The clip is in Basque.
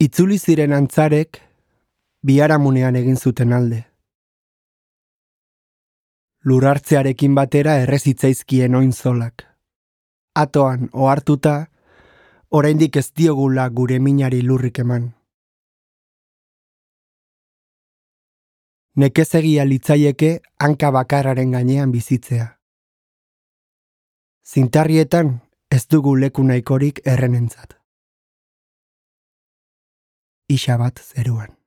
Itzuli ziren antzarek biharamunean egin zuten alde. Lurartzearekin batera errezitzaizkien oinzolak. Atoan ohartuta, oraindik ez diogula gure minari lurrik eman. Nekezegia litzaieke hanka bakarraren gainean bizitzea. Zintarrietan ez dugu leku nahikorik errenentzat. Isa bat zeruan.